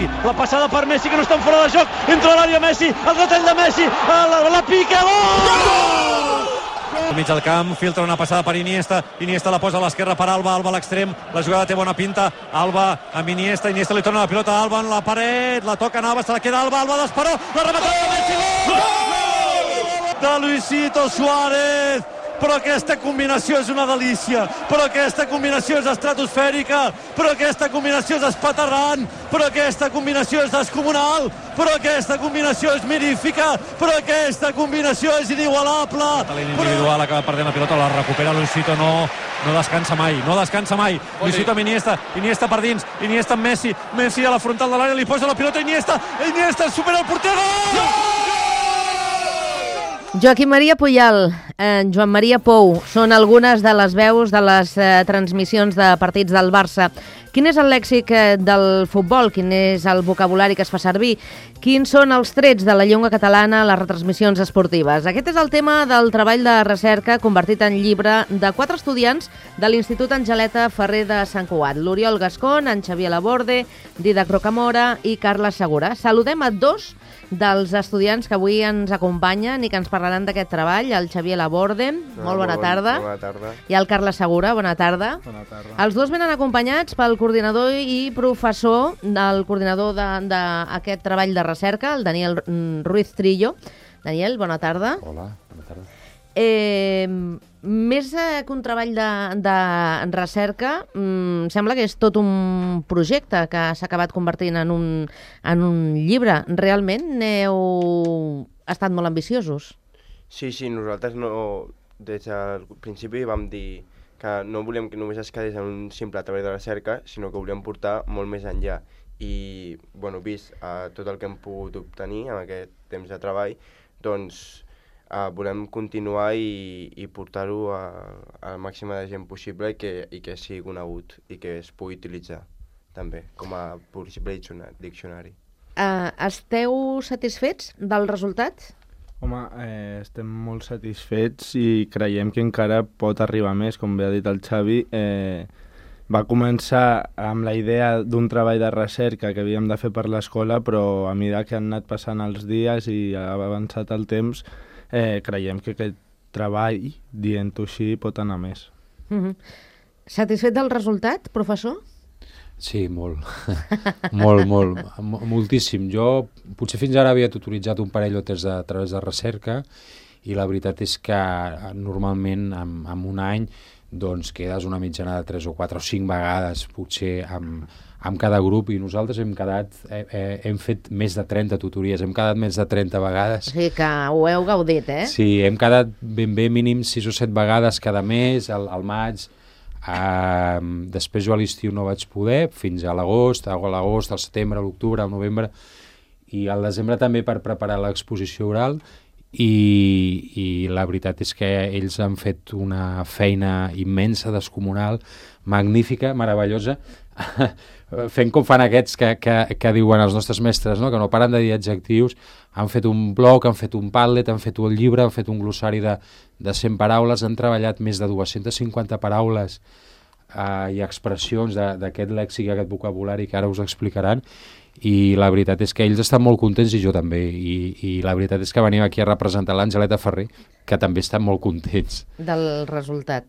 Messi, la passada per Messi que no estan fora de joc, entra a l'àrea Messi, el retall de Messi, la pica, gol! Al mig del camp, filtra una passada per Iniesta, Iniesta la posa a l'esquerra per Alba, Alba a l'extrem, la jugada té bona pinta, Alba amb Iniesta, Iniesta li torna la pilota a Alba en la paret, la toca Navas, se la queda Alba, Alba d'Esperó, la rematada de Messi, gol! De Luisito Suárez! Però aquesta combinació és una delícia, però aquesta combinació és estratosfèrica, però aquesta combinació és espaterrant, però aquesta combinació és descomunal, però aquesta combinació és mirífica, però aquesta combinació és inigualable. L'individual acaba perdent la pilota, la recupera Luisito, no descansa mai, no descansa mai. Luisito amb Iniesta, Iniesta per dins, Iniesta amb Messi, Messi a la frontal de l'àrea, li posa la pilota Iniesta, Iniesta supera el porter, gol! Joaquim Maria Puyal, Joan Maria Pou, són algunes de les veus de les transmissions de partits del Barça. Quin és el lèxic del futbol? Quin és el vocabulari que es fa servir? Quins són els trets de la llengua catalana a les retransmissions esportives? Aquest és el tema del treball de recerca convertit en llibre de 4 estudiants de l'Institut Angeleta Ferrer de Sant Cugat. L'Oriol Gascon, en Xavier Laborde, Didac Rocamora i Carles Segura. Saludem a 2 dels estudiants que avui ens acompanyen i que ens parlaran d'aquest treball, el Xavier Laborde, molt bona tarda. Bona tarda. I el Carles Segura, bona tarda. Bona tarda. Els dos venen acompanyats pel coordinador i professor del coordinador d'aquest treball de recerca, el Daniel Ruiz Trillo. Daniel, bona tarda. Hola, bona tarda. Més que un treball de recerca, sembla que és tot un projecte que s'ha acabat convertint en un llibre. Realment n'heu estat molt ambiciosos? Sí, nosaltres des del principi vam dir que no volíem que només es quedés en un simple treball de recerca, sinó que volíem portar molt més enllà. I, vist tot el que hem pogut obtenir en aquest temps de treball, doncs volem continuar i portar-ho a la màxima de gent possible i que sigui conegut i que es pugui utilitzar també com a possible diccionari. Esteu satisfets del resultat? Home, estem molt satisfets i creiem que encara pot arribar més, com bé ha dit el Xavi. Va començar amb la idea d'un treball de recerca que havíem de fer per l'escola, però a mesura que han anat passant els dies i ha avançat el temps, creiem que aquest treball, dient-ho així, pot anar més. Satisfet del resultat, professor? Sí, molt. Moltíssim. Jo potser fins ara havia tutoritzat un parell o tres a través de recerca i la veritat és que normalment en un any doncs quedes una mitjana de 3 o 4 o 5 vegades potser amb cada grup i nosaltres hem fet més de 30 tutories, hem quedat més de 30 vegades. O sigui que ho heu gaudit, eh? Sí, hem quedat ben mínim 6 o 7 vegades cada mes, al maig. Després jo a l'estiu no vaig poder, fins a l'agost, al setembre, a l'octubre, al novembre, i al desembre també per preparar l'exposició oral, i la veritat és que ells han fet una feina immensa, descomunal, magnífica, meravellosa, fent com fan aquests que diuen els nostres mestres, no? Que no paren de dir adjectius. Han fet un blog, han fet un Padlet, han fet un llibre, han fet un glossari de 100 paraules, han treballat més de 250 paraules i expressions d'aquest lèxic, aquest vocabulari que ara us explicaran, i la veritat és que ells estan molt contents i jo també, i la veritat és que venim aquí a representar l'Angeleta Ferrer, que també estan molt contents del resultat.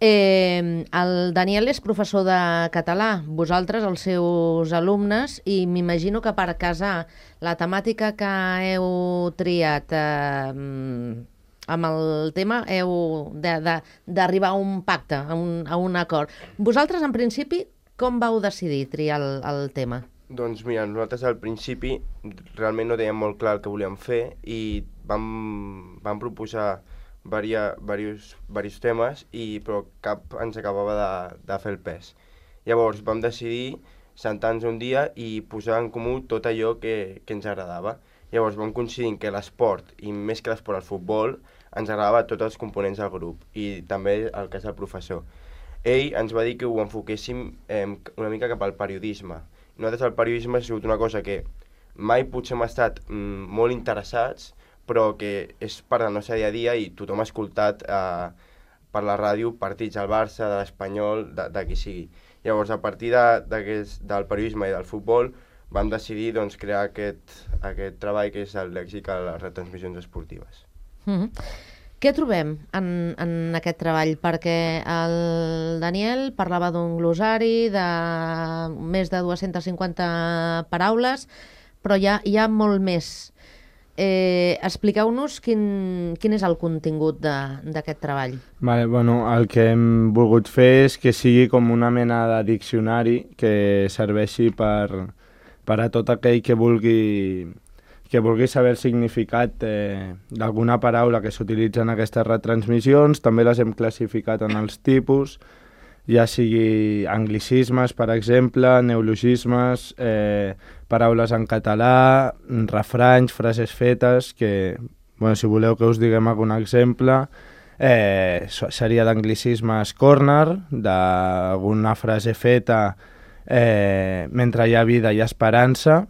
El Daniel és professor de català, vosaltres els seus alumnes, i m'imagino que per casar la temàtica que heu triat amb el tema heu d'arribar a un pacte, a un acord. Vosaltres, en principi, com vau decidir triar el tema? Doncs mira, nosaltres al principi realment no teníem molt clar el que volíem fer i vam proposar diversos temes, però cap ens acabava de fer el pes. Llavors vam decidir sentar-nos un dia i posar en comú tot allò que ens agradava. Llavors vam coincidir que l'esport, i més que l'esport, el futbol, ens agradava a tots els components del grup, i també el cas del professor. Ell ens va dir que ho enfoquéssim una mica cap al periodisme. Nosaltres el periodisme ha sigut una cosa que mai potser hem estat molt interessats, però que és part del nostre dia a dia i tothom ha escoltat per la ràdio partits del Barça, de l'Espanyol, de qui sigui. Llavors, a partir del periodisme i del futbol, vam decidir doncs, crear aquest treball que és el lèxic a les retransmissions esportives. Què trobem en aquest treball? Perquè el Daniel parlava d'un glossari de més de 250 paraules, però hi ha molt més. Expliqueu-nos quin és el contingut d'aquest treball. Vale, bueno, el que hem volgut fer és que sigui com una mena de diccionari que serveixi per a tot aquell que vulgui saber el significat d'alguna paraula que s'utilitza en aquestes retransmissions. També les hem classificat en els tipus, ja sigui anglicismes, per exemple, neologismes, paraules en català, refranys, frases fetes, que, bueno, si voleu que us diguem algun exemple, seria d'anglicismes corner, d'alguna frase feta mentre hi ha vida i esperança.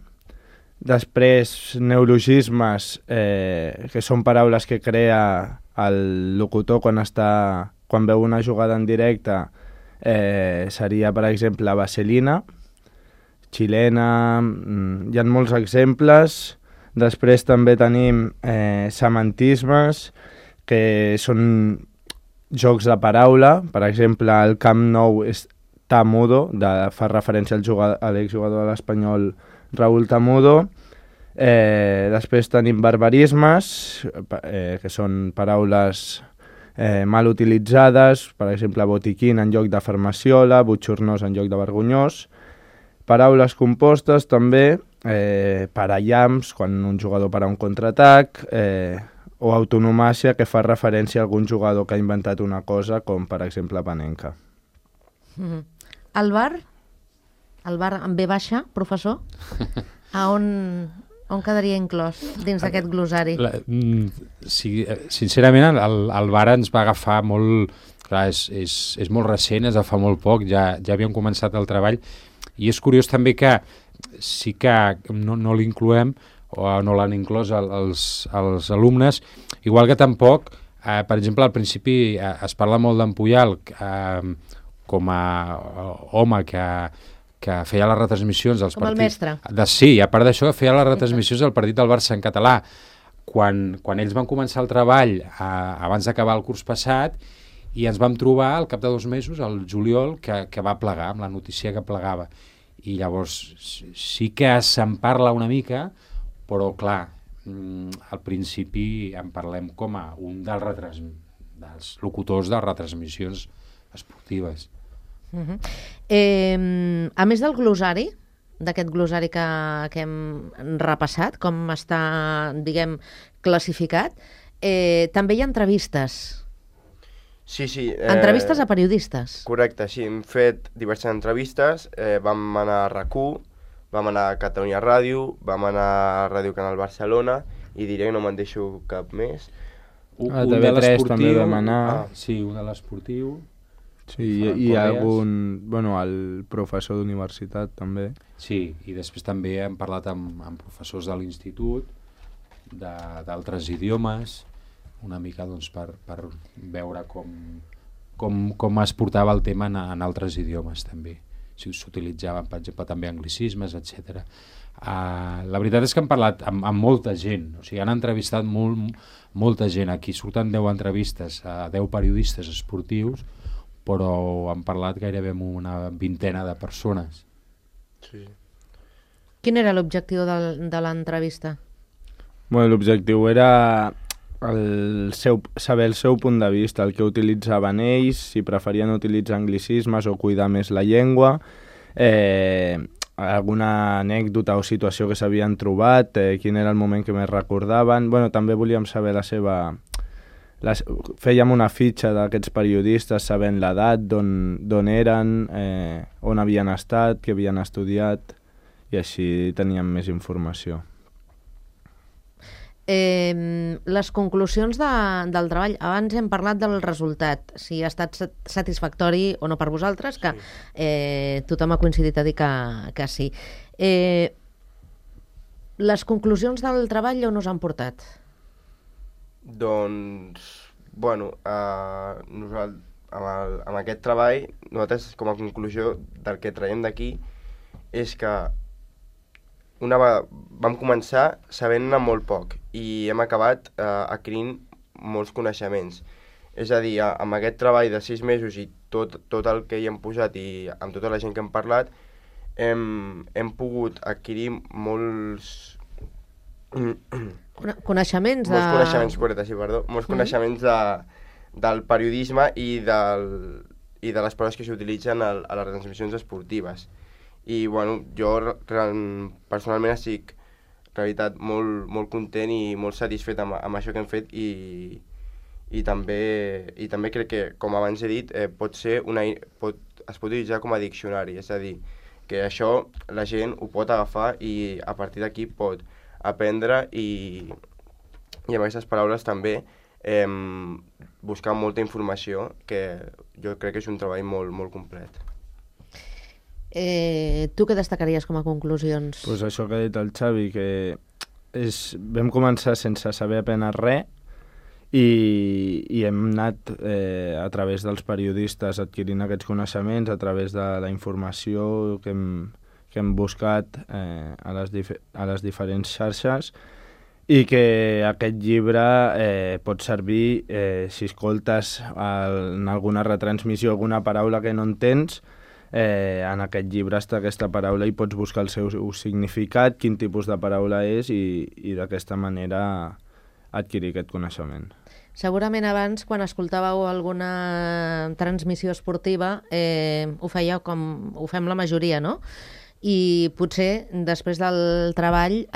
Després, neologismes, que són paraules que crea el locutor quan veu una jugada en directe, seria, per exemple, vaselina, xilena, hi ha molts exemples. Després també tenim semantismes, que són jocs de paraula. Per exemple, el Camp Nou és Tamudo, fa referència a l'exjugador de l'Espanyol Raúl Tamudo. Després tenim barbarismes, que són paraules mal utilitzades, per exemple, botiquín en lloc de farmaciola, butxornós en lloc de vergonyós. Paraules compostes també, parallamps, quan un jugador para un contraatac, o autonomàcia, que fa referència a algun jugador que ha inventat una cosa, com per exemple Panenka. El bar amb B baixa, professor, on quedaria inclòs dins d'aquest glossari? Sincerament, el bar ens va agafar molt... Clar, és molt recent, és de fa molt poc, ja havíem començat el treball, i és curiós també que sí que no l'incloem, o no l'han inclòs els alumnes, igual que tampoc, per exemple, al principi es parla molt d'en Puyal com a home que feia les retransmissions dels com partits... el mestre. Sí, a part d'això, feia les retransmissions del partit del Barça en català. Quan ells van començar el treball abans d'acabar el curs passat, i ens vam trobar al cap de 2 mesos, al juliol, que va plegar, amb la notícia que plegava. I llavors sí que se'n parla una mica, però clar, al principi en parlem com a un dels locutors de retransmissions esportives. A més del glossari, d'aquest glossari que hem repassat, com està, diguem, classificat, també hi ha entrevistes. Sí. Entrevistes a periodistes. Correcte, sí, hem fet diverses entrevistes, vam anar a RAC1, vam anar a Catalunya Ràdio, vam anar a Ràdio Canal Barcelona, i diré que no me'n deixo cap més. A TV3 també vam anar. Sí, un de l'esportiu. Sí, hi ha algun... Bueno, el professor d'universitat també. Sí, i després també hem parlat amb professors de l'institut, d'altres idiomes, una mica doncs, per veure com es portava el tema en altres idiomes també. Si s'utilitzaven, per exemple, també anglicismes, etc. La veritat és que hem parlat amb molta gent, o sigui, han entrevistat molta gent. Aquí surten 10 entrevistes a 10 periodistes esportius, però han parlat gairebé amb una vintena de persones. Sí. Quin era l'objectiu de l'entrevista? Bueno, l'objectiu era saber el seu punt de vista, el que utilitzaven ells, si preferien utilitzar anglicismes o cuidar més la llengua, alguna anècdota o situació que s'havien trobat, quin era el moment que més recordaven. Bueno, també volíem saber fèiem una fitxa d'aquests periodistes sabent l'edat, d'on eren, on havien estat, què havien estudiat, i així teníem més informació. Les conclusions del treball, abans hem parlat del resultat, si ha estat satisfactori o no per vosaltres, que tothom ha coincidit a dir que sí. Les conclusions del treball on us han portat? Doncs, bueno, amb aquest treball, nosaltres com a conclusió del que traiem d'aquí és que vam començar sabent-ne molt poc i hem acabat adquirint molts coneixements. És a dir, amb aquest treball de 6 mesos i tot el que hi hem posat i amb tota la gent que hem parlat, hem pogut adquirir molts... Coneixements de... Molts coneixements, correcte, sí, perdó. Molts coneixements del periodisme i de les paraules que s'utilitzen a les retransmissions esportives. I, bueno, jo personalment estic, en realitat, molt content i molt satisfet amb això que hem fet i també crec que, com abans he dit, es pot utilitzar com a diccionari, és a dir, que això la gent ho pot agafar i a partir d'aquí pot aprendre i amb aquestes paraules també buscar molta informació, que jo crec que és un treball molt complet. Tu què destacaries com a conclusions? Pues això que ha dit el Xavi, que vam començar sense saber apenas res i hem anat a través dels periodistes adquirint aquests coneixements, a través de la informació que hem buscat a les diferents xarxes, i que aquest llibre pot servir si escoltes en alguna retransmissió alguna paraula que no entens. En aquest llibre està aquesta paraula i pots buscar el seu significat, quin tipus de paraula és i d'aquesta manera adquirir aquest coneixement. Segurament abans, quan escoltàveu alguna transmissió esportiva, ho fèieu com ho fem la majoria, no? I potser després del treball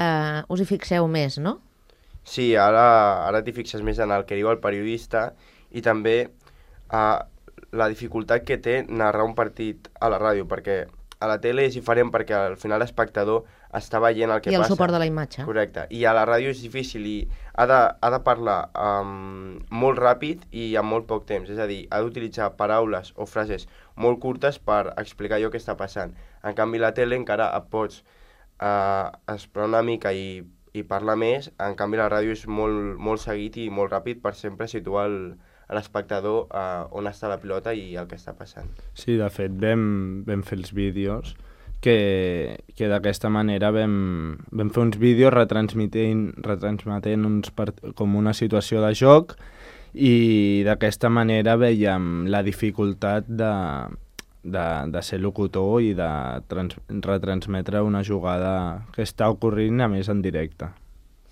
us hi fixeu més, no? Sí, ara t'hi fixes més en el que diu el periodista i també la dificultat que té narrar un partit a la ràdio, perquè a la tele és diferent perquè al final l'espectador està veient el que passa. I el suport de la imatge. Correcte. I a la ràdio és difícil i ha de parlar molt ràpid i en molt poc temps. És a dir, ha d'utilitzar paraules o frases molt curtes per explicar allò que està passant. En canvi, a la tele encara et pots esperar una mica i parlar més. En canvi, la ràdio és molt seguit i molt ràpid per sempre situar l'espectador on està la pilota i el que està passant. Sí, de fet, vam fer els vídeos que d'aquesta manera vam fer uns vídeos retransmetent com una situació de joc i d'aquesta manera veiem la dificultat de ser locutor i de retransmetre una jugada que està ocorrent a més en directe.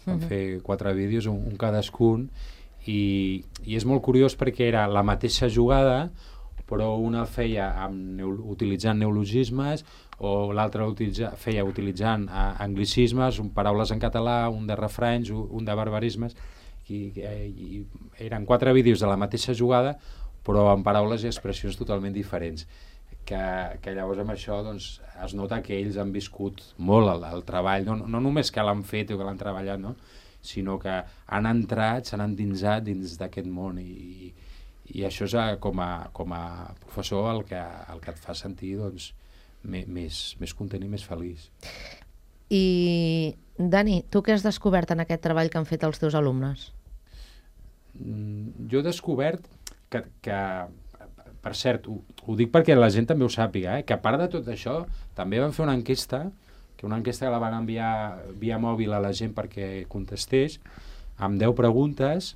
Vam fer 4 vídeos, un cadascun, i és molt curiós perquè era la mateixa jugada, però una feia utilitzant neologismes o l'altra feia utilitzant anglicismes, paraules en català, un de refranys, un de barbarismes, i eren 4 vídeos de la mateixa jugada, però amb paraules i expressions totalment diferents. Que llavors amb això doncs, es nota que ells han viscut molt el treball, no només que l'han fet o que l'han treballat, no? Sinó que han entrat, s'han endinsat dins d'aquest món i això és com a professor el que et fa sentir doncs, més content i més feliç. I Dani, tu què has descobert en aquest treball que han fet els teus alumnes? Jo he descobert que per cert, ho dic perquè la gent també ho sàpiga, que a part de tot això també van fer una enquesta que la van enviar via mòbil a la gent perquè contestés, amb 10 preguntes,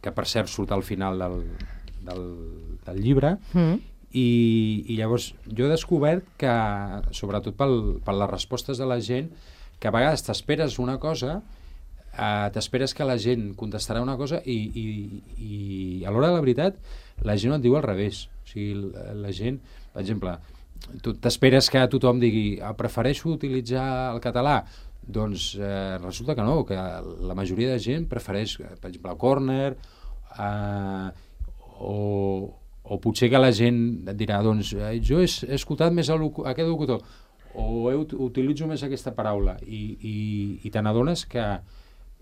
que per cert surt al final del llibre, i llavors jo he descobert que, sobretot per les respostes de la gent, que a vegades t'esperes una cosa, t'esperes que la gent contestarà una cosa i a l'hora de la veritat la gent et diu al revés. O sigui, la gent, per exemple, tu t'esperes que tothom digui prefereixo utilitzar el català, doncs resulta que no, que la majoria de gent prefereix, per exemple, el córner, o potser que la gent et dirà doncs jo he escoltat més aquest locutor o utilitzo més aquesta paraula i te n'adones que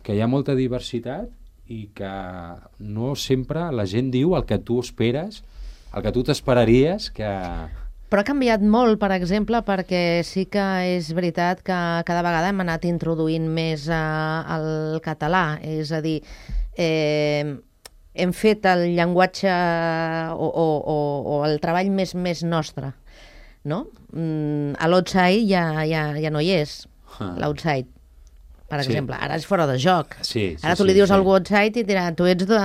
hi ha molta diversitat i que no sempre la gent diu el que tu esperes, el que tu t'esperaries que... Però ha canviat molt, per exemple, perquè sí que és veritat que cada vegada hem anat introduint més el català, és a dir, hem fet el llenguatge o el treball més nostre, no? A l'Otsai ja no hi és. l'outside, per Sí. exemple. Ara és fora de joc. Sí, Ara tu li dius a algú outside i et dirà, tu ets de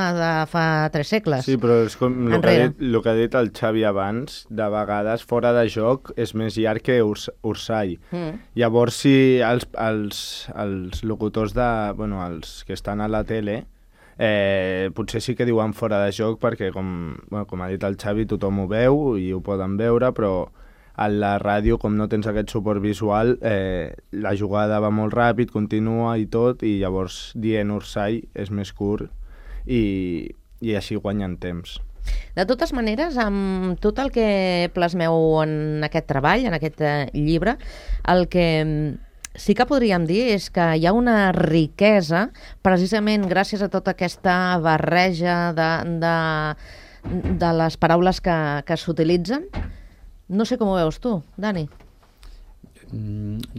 fa 3 segles. Sí, però és com Enrere. el que ha dit el Xavi abans, de vegades fora de joc és més llarg que Ursall. Llavors, si els locutors els que estan a la tele, potser sí que diuen fora de joc perquè, com ha dit el Xavi, tothom ho veu i ho poden veure, però a la ràdio, com no tens aquest suport visual, la jugada va molt ràpid, continua i tot, i llavors dient Ursall és més curt i així guanyen temps. De totes maneres, amb tot el que plasmeu en aquest treball, en aquest llibre, el que sí que podríem dir és que hi ha una riquesa, precisament gràcies a tota aquesta barreja de les paraules que s'utilitzen. No sé com ho veus tu, Dani.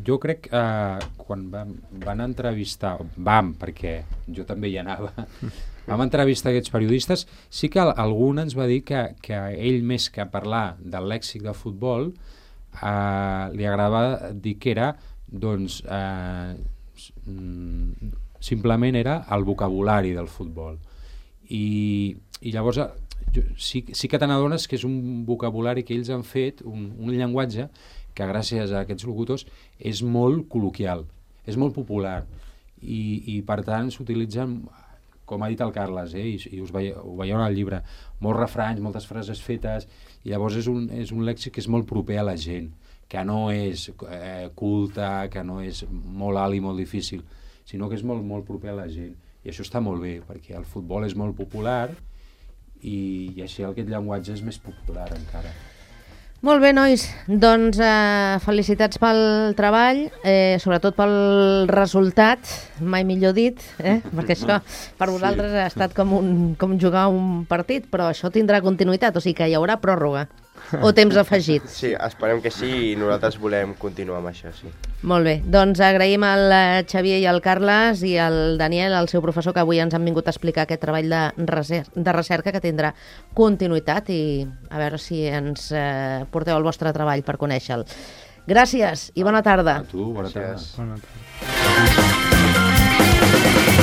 Jo crec que quan van entrevistar, perquè jo també hi anava, vam entrevistar aquests periodistes, sí que algun ens va dir que ell, més que parlar del lèxic de futbol, li agradava dir que era, doncs, simplement era el vocabulari del futbol. I llavors sí que te n'adones que és un vocabulari que ells han fet, un llenguatge que gràcies a aquests locutors és molt col·loquial, és molt popular i per tant s'utilitzen, com ha dit el Carles, i ho veieu en el llibre, molts refranys, moltes frases fetes, i llavors és un lèxic que és molt proper a la gent, que no és culte, que no és molt alt i molt difícil, sinó que és molt, molt proper a la gent. I això està molt bé, perquè el futbol és molt popular i així aquest llenguatge és més popular encara. Molt bé, nois. Doncs felicitats pel treball, sobretot pel resultat, mai millor dit, perquè això per vosaltres ha estat com jugar un partit, però això tindrà continuïtat, o sigui que hi haurà pròrroga o temps afegit. Sí, esperem que sí i nosaltres volem continuar amb això, sí. Molt bé, doncs agraïm al Xavier i al Carles i al Daniel, el seu professor, que avui ens han vingut a explicar aquest treball de recerca que tindrà continuïtat i a veure si ens porteu el vostre treball per conèixer-lo. Gràcies i bona tarda. A tu, bona tarda. Bona tarda.